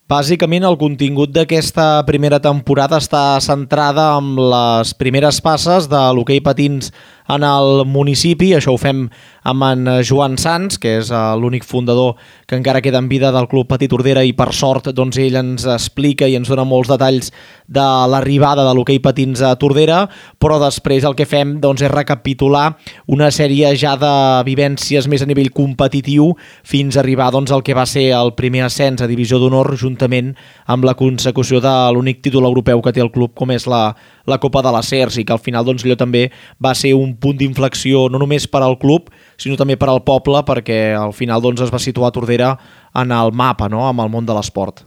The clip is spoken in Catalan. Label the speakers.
Speaker 1: Bàsicament, el contingut d'aquesta primera temporada està centrada en les primeres passes de l'hoquei patins en el municipi. Això ho fem amb en Joan Sans, que és l'únic fundador que encara queda en vida del Club Patí Tordera, i per sort doncs, ell ens explica i ens dona molts detalls de l'arribada de l'hoquei patins a Tordera, però després el que fem doncs, és recapitular una sèrie ja de vivències més a nivell competitiu fins a arribar doncs, al que va ser el primer ascens a Divisió d'Honor, juntament amb la consecució de l'únic títol europeu que té el club, com és la Copa de les Cers, i que al final doncs, allò també va ser un punt d'inflexió no només per al club, sinó també per al poble, perquè al final doncs, es va situar Tordera en el mapa, no?, amb el món de l'esport.